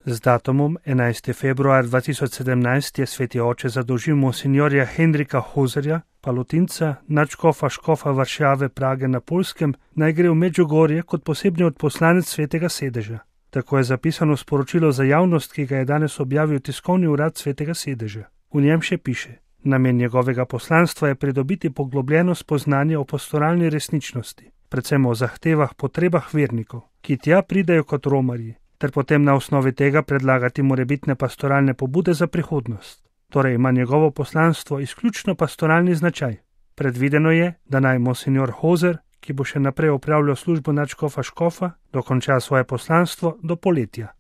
Z datumom 11. februar 2017 je sveti oče zadolžil monsinjorja Henrika Hozerja, palotinca, nadškofa škofa Varšave Prage na Poljskem, naj gre v Medžugorje kot posebni odposlanec svetega sedeža. Tako je zapisano sporočilo za javnost, ki ga je danes objavil tiskovni urad svetega sedeža. V njem še piše: namen njegovega poslanstva je pridobiti poglobljeno spoznanje o pastoralni resničnosti, predvsem o zahtevah, potrebah vernikov, ki tja pridejo kot romarji, ter potem na osnovi tega predlagati morebitne pastoralne pobude za prihodnost. Torej ima njegovo poslanstvo izključno pastoralni značaj. Predvideno je, da naj monsinjor Hozer, ki bo še naprej opravljal službo nadškofa škofa, dokonča svoje poslanstvo do poletja.